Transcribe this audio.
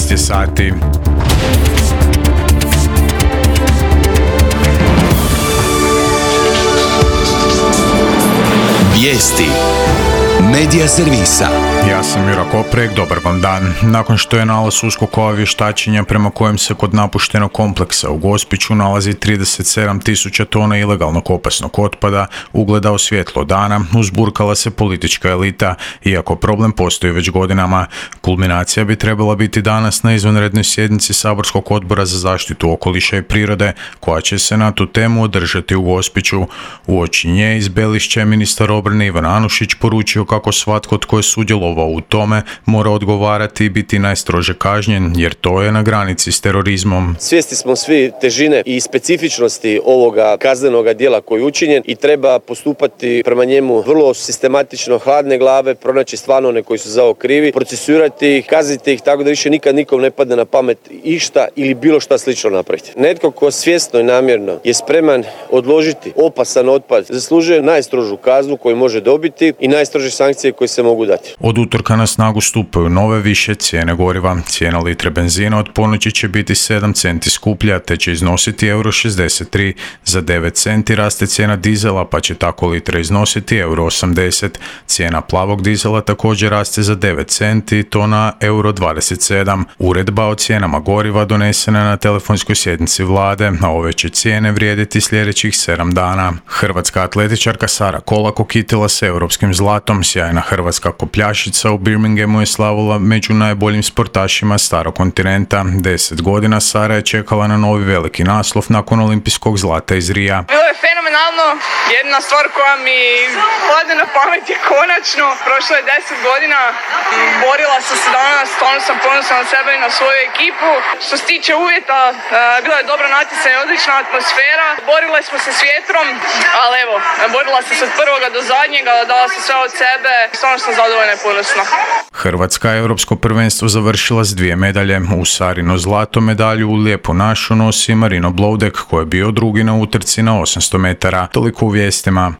13 je sati. Vijesti Medija servisa. Ja sam Jura Koprek, dobar vam dan. Nakon što je nalaz USKOK-ova vještačenja prema kojem se kod napuštenog kompleksa u Gospiću nalazi 37.000 tona ilegalnog opasnog otpada ugledao svjetlo dana, uzburkala se politička elita, iako problem postoji već godinama. Kulminacija bi trebala biti danas na izvanrednoj sjednici Saborskog odbora za zaštitu okoliša i prirode, koja će se na tu temu održati u Gospiću. Uoči nje iz Belišća je ministar obrane Ivan Anušić poručio kako svatko tko je sudjelovao u tome mora odgovarati i biti najstrože kažnjen, jer to je na granici s terorizmom. Svjesni smo svi težine i specifičnosti ovoga kaznenoga djela koji je učinjen i treba postupati prema njemu vrlo sistematično, hladne glave, pronaći stvarno one koji su za ovo krivi, procesuirati ih, kazniti ih tako da više nikad nikom ne padne na pamet išta ili bilo šta slično napraviti. Netko ko svjesno i namjerno je spreman odložiti opasan otpad zaslužuje najstrožu kaznu koju može dobiti i najstrože sankcije koje se mogu dati. Od utorka na snagu stupaju nove više cijene goriva. Cijena litre benzina od ponoći će biti 7 centi skuplja, te će iznositi €63. Za 9 centi raste cijena dizela, pa će tako litra iznositi €80. Cijena plavog dizela također raste za 9 centi, i to na €27. Uredba o cijenama goriva donesena na telefonskoj sjednici vlade, a ove će cijene vrijediti sljedećih 7 dana. Hrvatska atletičarka Sara Kolak okitila se europskim zlatom. Sjajna hrvatska kopljašica u Birminghamu je slavila među najboljim sportašima starog kontinenta. 10 godina Sara je čekala na novi veliki naslov nakon olimpijskog zlata iz Rija. Bilo je fenomenalno. Jedna stvar koja mi padne na pamet je konačno. Prošlo je 10 godina. Borila sam se danas, stvarno sam ponosna na sebe i na svoju ekipu. Što se tiče uvjeta, bilo je dobro natjecanje, odlična atmosfera. Borile smo se s vjetrom, ali evo, borila sam se od prvoga do zadnjega, dala sam sve od sebe. Stvarno sam zadovoljna i ponosna. Hrvatska je europsko prvenstvo završila s 2 medalje. U Sarino zlato medalju u Lijepu našu nosi Marino Bloudek, koji je bio drugi na utrci na 800 metara. Toliko u vijestima.